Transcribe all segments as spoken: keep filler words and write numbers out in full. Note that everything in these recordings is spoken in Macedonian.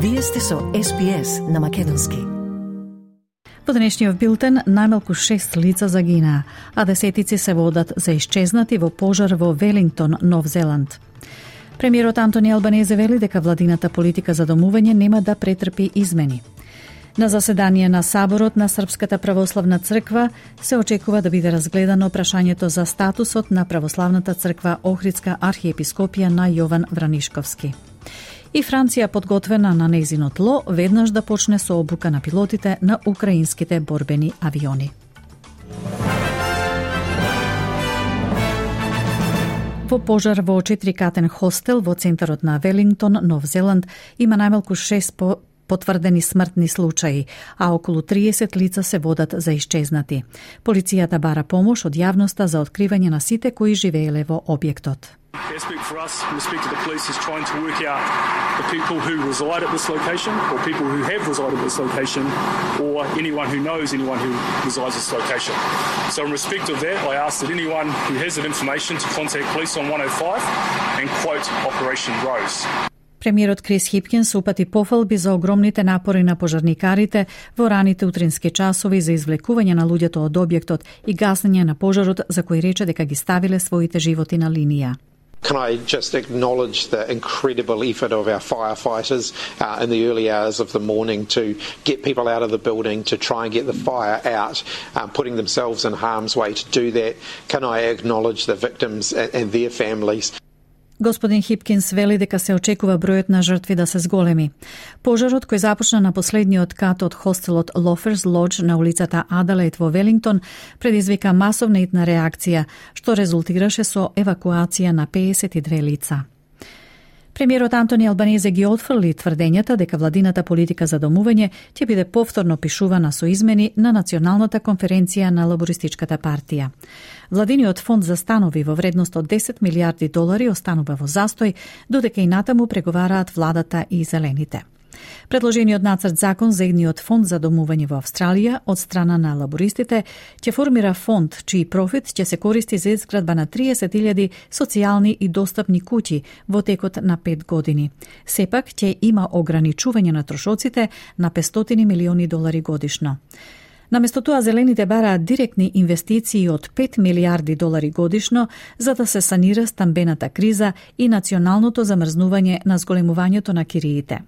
Вие сте со Ес Би Ес на македонски. Во денешниот билтен најмалку шест лица загинаа, а десетици се водат за исчезнати во пожар во Велингтон, Нов Зеланд. Премиерот Антони Албанезе вели дека владината политика за домување нема да претрпи измени. На заседание на Саборот на Српската православна црква се очекува да биде разгледано прашањето за статусот на православната црква Охридска архиепископија на Јован Вранишковски. И Франција подготвена на нејзино тло веднаш да почне со обука на пилотите на украинските борбени авиони. Во пожар во четирикатен хостел во центарот на Велингтон, Нов Зеланд, има најмалку шест по потврдени смртни случаи, а околу триесет лица се водат за исчезнати. Полицијата бара помош од јавноста за откривање на сите кои живееле во објектот. Aspect for us, from the perspective of the police, is trying to work out the people who reside at this location, or people who have resided at this location, or anyone who knows anyone who resides at this location. So in respect of that, I ask that anyone who has that information to contact police on one oh five and quote Operation Rose. Премиерот Крис Хипкинс упати пофалби за огромните напори на пожарникарите во раните утрински часови за извлекување на луѓето од објектот и гасење на пожарот, за кој рече дека ги ставиле своите животи на линија. Can I just acknowledge the incredible effort of our firefighters uh, in the early hours of the morning to get people out of the building, to try and get the fire out, um, putting themselves in harm's way to do that. Can I acknowledge the victims and, and their families? Господин Хипкинс вели дека се очекува бројот на жртви да се зголеми. Пожарот кој започна на последниот кат од хостелот Loafers Lodge на улицата Адалейд во Велингтон предизвика масовна итна реакција, што резултираше со евакуација на педесет и две лица. Премиерот Антони Албанезе ги отфрли тврдењата дека владината политика за домување ќе биде повторно пишувана со измени на Националната конференција на Лабористичката партија. Владиниот фонд за станови во вредност од десет милиарди долари останува во застој, додека и натаму преговараат владата и зелените. Предложениот нацрт закон за едниот фонд за домување во Австралија од страна на лабористите ќе формира фонд чиј профит ќе се користи за изградба на триесет илјади социјални и достапни куќи во текот на пет години. Сепак ќе има ограничување на трошоците на петстотини милиони долари годишно. Наместо тоа, зелените бараат директни инвестиции од пет милиарди долари годишно за да се санира стамбената криза и националното замрзнување на зголемувањето на кириите.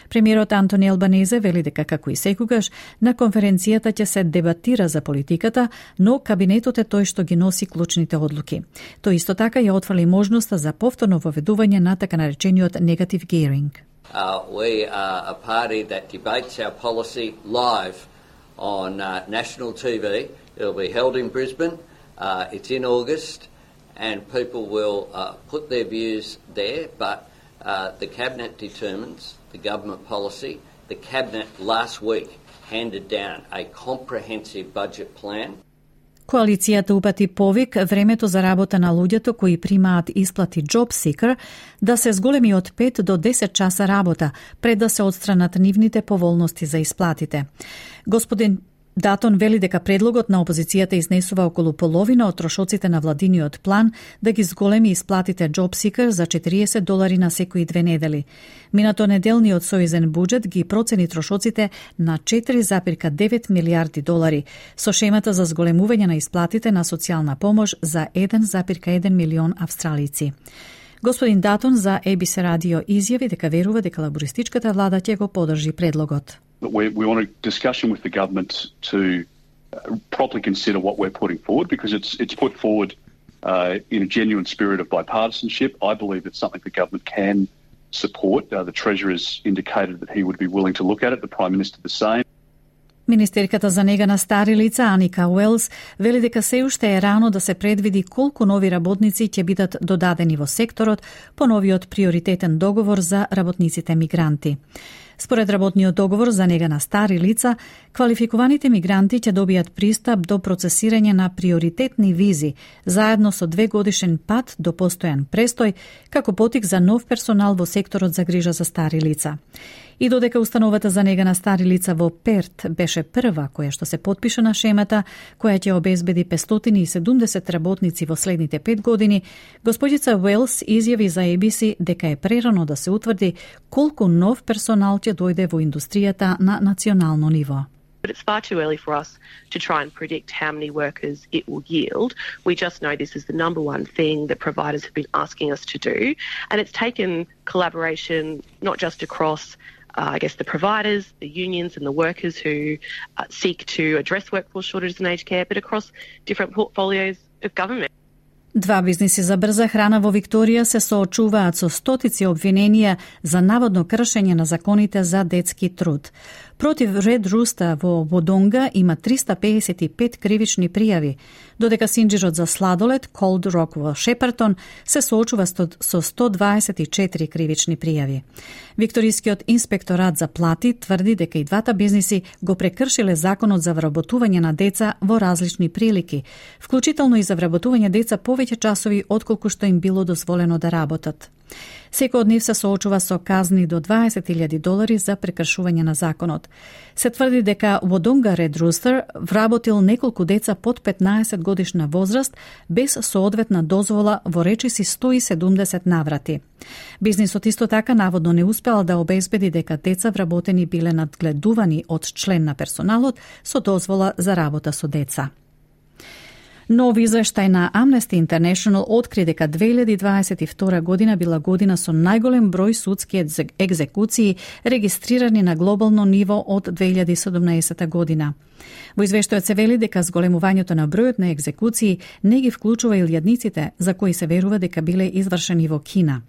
Премиерот Антони Албанезе вели дека како и секогаш на конференцијата ќе се дебатира за политиката, но кабинетот е тој што ги носи клучните одлуки. Тој исто така ја отфрли можноста за повторно воведување на така наречениот negative gearing. Uh, we are a party that debates our policy live on uh, national T V. It'll be held in Brisbane. Uh, it's in August, and people will uh, put their views there, but uh, the Cabinet determines the government policy. The Cabinet last week handed down a comprehensive budget plan. Коалицијата упати повик времето за работа на луѓето кои примаат исплати Job Seeker да се зголеми од пет до десет часа работа пред да се отстранат нивните поволности за исплатите. Господин Датон вели дека предлогот на опозицијата изнесува околу половина од трошоците на владиниот план да ги зголеми исплатите Job Seeker за четириесет долари на секои две недели. Минато неделниот сојузен буџет ги процени трошоците на четири запирка девет милиарди долари, со шемата за зголемување на исплатите на социјална помош за еден запирка еден милион австралици. Господин Датон за Ей Би Си радио изјави дека верува дека лабористичката влада ќе го поддржи предлогот. We, we want a discussion with the government to uh, properly consider what we're putting forward, because it's it's put forward uh, in a genuine spirit of bipartisanship. I believe it's something the government can support. Uh, the Treasurer has indicated that he would be willing to look at it. The Prime Minister the same. Министерката за нега на стари лица Аника Уелс вели дека се уште е рано да се предвиди колку нови работници ќе бидат додадени во секторот по новиот приоритетен договор за работниците мигранти. Според работниот договор за нега на стари лица, квалификуваните мигранти ќе добијат пристап до процесирање на приоритетни визи, заедно со две годишен пат до постојан престој, како потик за нов персонал во секторот за грижа за стари лица. И додека установата за нега на стари лица во Перт беше прва која што се потпиша на шемата, која ќе обезбеди петстотини и седумдесет работници во следните пет години, господица Уелс изјави за Ей Би Си дека е прерано да се утврди колку нов персонал ќе ќе дојде во индустријата на национално ниво. But it's far too early for us to try and predict how many workers it will yield. We just know this is the number one thing that providers have been asking us to do. And it's taken collaboration not just across, uh, I guess, the providers, the unions and the workers who uh, seek to address workforce shortages in aged care, but across different portfolios of government. Два бизниси за брза храна во Викторија се соочуваат со стотици обвиненија за наводно кршење на законите за детски труд. Против Red Rooster во Водонга има триста педесет и пет кривични пријави, додека синџирот за сладолед Cold Rock во Шепартон се соочува со сто дваесет и четири кривични пријави. Викторискиот инспекторат за плати тврди дека и двата бизниси го прекршиле законот за вработување на деца во различни прилики, вклучително и за вработување деца повеќе часови отколку што им било дозволено да работат. Секој од нив се соочува со казни до дваесет илјади долари за прекршување на законот. Се тврди дека Водонга Red Rooster вработил неколку деца под петнаесет годишна возраст без соодветна дозвола во речиси сто и седумдесет наврати. Бизнисот исто така наводно не успел да обезбеди дека деца вработени биле надгледувани од член на персоналот со дозвола за работа со деца. Нов извештај на Amnesty International откри дека две илјади дваесет и втора година била година со најголем број судски екзекуции регистрирани на глобално ниво од две илјади и седумнаесета година. Во извештајот се вели дека зголемувањето на бројот на екзекуции не ги вклучува илјадниците за кои се верува дека биле извршени во Кина.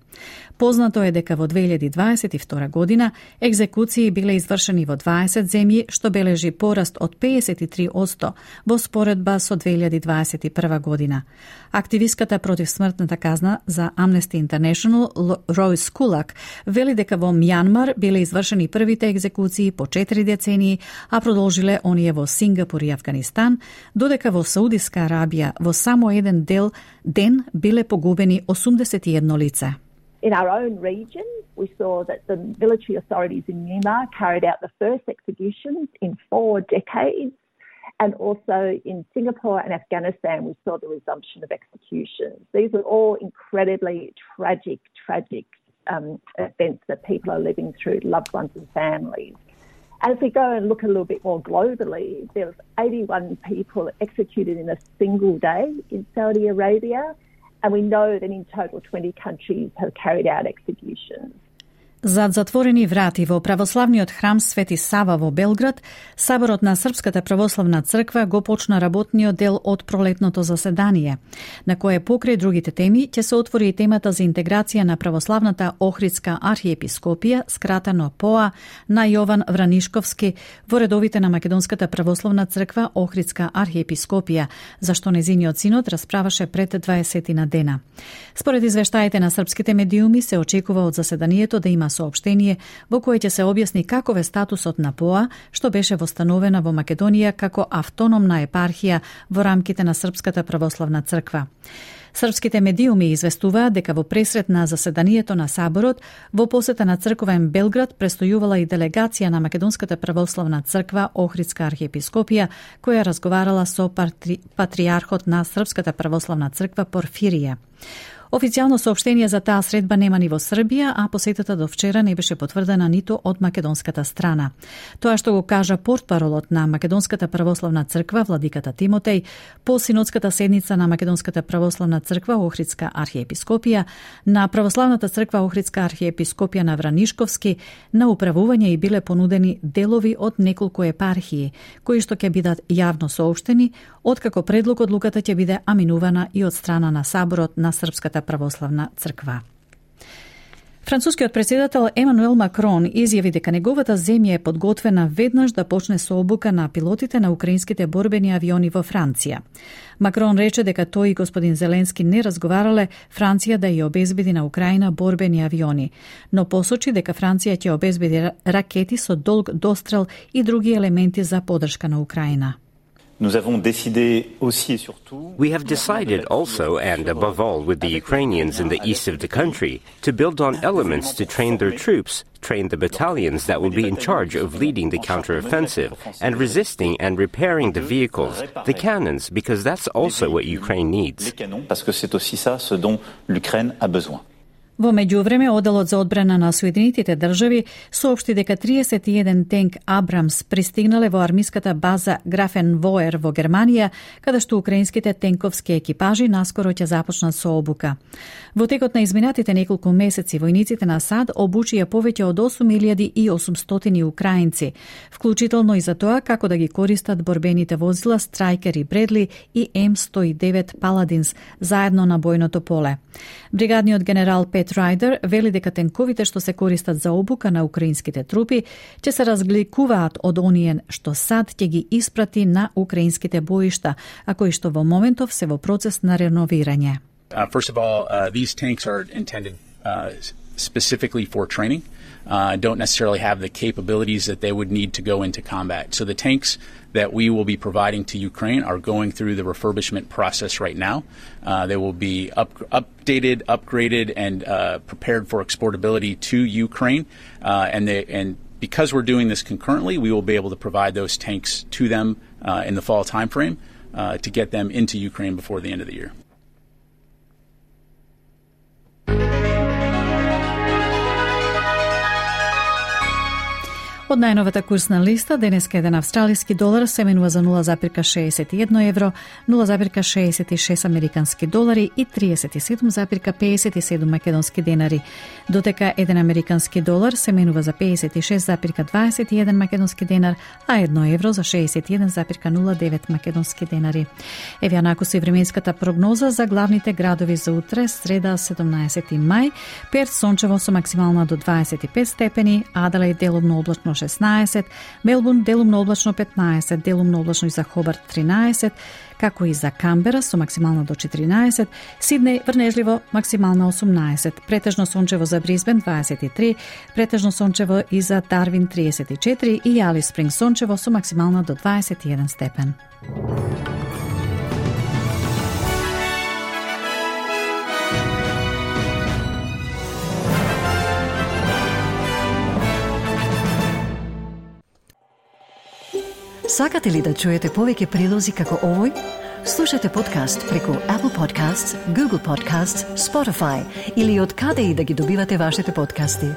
Познато е дека во две илјади дваесет и втора година екзекуции биле извршени во дваесет земји, што бележи пораст од педесет и три одсто во споредба со две илјади дваесет и прва година. Активистката против смртната казна за Amnesty International Роуз Кулак вели дека во Мјанмар биле извршени првите екзекуции по четири децении, а продолжиле оние во Сингапур и Авганистан, додека во Саудиска Арабија во само еден дел ден биле погубени осумдесет и едно лице. In our own region, we saw that the military authorities in Myanmar carried out the first executions in four decades, and also in Singapore and Afghanistan, we saw the resumption of executions. These are all incredibly tragic, tragic um, events that people are living through, loved ones and families. And if we go and look a little bit more globally, there was eighty-one people executed in a single day in Saudi Arabia, and we know that in total twenty countries have carried out executions. Зад затворени врати во православниот храм Свети Сава во Белград, Саборот на Српската православна црква го почна работниот дел од пролетното заседание, на кое покрај другите теми ќе се отвори и темата за интеграција на православната Охридска архиепископија, скратено П О А, на Јован Вранишковски во редовите на Македонската православна црква Охридска архиепископија, зашто незиниот синод расправаше пред дваесетина дена. Според извештаите на српските медиуми се очекува од заседанието да има соопштение во кое ќе се објасни каков е статусот на П О А, што беше востановена во Македонија како автономна епархија во рамките на Српската православна црква. Српските медиуми известуваат дека во пресрет на заседанието на Саборот, во посета на црковен Белград престојувала и делегација на Македонската православна црква Охридска архиепископија, која разговарала со патри... патриархот на Српската православна црква Порфирија. Официјално соопштение за таа средба нема ни во Србија, а посетата до вчера не беше потврдена ниту од македонската страна. Тоа што го кажа портпаролот на Македонската православна црква владиката Тимотеј по синодската седница на Македонската православна црква Охридска архиепископија, на православната црква Охридска архиепископија на Вранишковски, на управување и биле понудени делови од неколку епархии, кои што ќе бидат јавно соопштени, откако предлог одлуката ќе биде аминувана и од страна на Саборот на Српската православна црква. Францускиот претседател Емануел Макрон изјави дека неговата земја е подготвена веднаш да почне со обука на пилотите на украинските борбени авиони во Франција. Макрон рече дека тој и господин Зеленски не разговарале Франција да ја обезбеди на Украина борбени авиони, но посочи дека Франција ќе обезбеди ракети со долг дострел и други елементи за поддршка на Украина. Nous avons décidé aussi et surtout. We have decided also, and above all with the Ukrainians in the east of the country, to build on elements to train their troops, train the battalions that will be in charge of leading the counteroffensive, and resisting and repairing the vehicles, the cannons, because that's also what Ukraine needs. Les canons, parce que c'est aussi ça ce dont l'Ukraine a besoin. Во меѓувреме, Оделот за одбрана на Соединетите држави соопшти дека триесет и еден тенк Абрамс пристигнале во армиската база Графенвоер во Германија, каде што украинските тенковски екипажи наскоро ќе започнат со обука. Во текот на изминатите неколку месеци, војниците на САД обучија повеќе од осум илјади и осумстотини украинци, вклучително и за тоа како да ги користат борбените возила Страйкер и Бредли и М сто и девет Паладинс заедно на бојното поле. Бригадниот генерал Пет Рајдер вели дека тенковите што се користат за обука на украинските трупи ќе се разликуваат од оние што САД ќе ги испрати на украинските боишта, а кои што во моментов се во процес на реновирање. Uh, first of all, uh, these tanks are intended uh, specifically for training. Uh, don't necessarily have the capabilities that they would need to go into combat. So the tanks that we will be providing to Ukraine are going through the refurbishment process right now. Uh, they will be up, updated, upgraded, and uh, prepared for exportability to Ukraine. Uh, and, they, and because we're doing this concurrently, we will be able to provide those tanks to them uh, in the fall timeframe uh, to get them into Ukraine before the end of the year. Од најновата курсна листа, денеска еден австралиски долар се менува за нула зарез шеесет и едно евро, нула зарез шеесет и шест американски долари и триесет и седум зарез пеесет и седум македонски денари, додека еден американски долар се менува за пеесет и шест зарез дваесет и еден македонски денар, а едно евро за шеесет и еден зарез нула девет македонски денари. Еве ја накуси временската прогноза за главните градови за утре, среда седумнаесети мај. Перт сончево со максимална до дваесет и пет степени, Аделаид делумно облачно шеснаесет, Мелбурн делумно облачно петнаесет, делумно облачно и за Хобарт тринаесет, како и за Камбера со максимална до четиринаесет, Сиднеј врнежливо максимална осумнаесет, претежно сончево за Брисбен дваесет и три, претежно сончево и за Дарвин триесет и четири и Алис Спринг сончево со максимална до дваесет и еден степен. Сакате ли да чуете повеќе прилози како овој? Слушате подкаст преку Apple Podcasts, Google Podcasts, Spotify или од каде и да ги добивате вашите подкасти.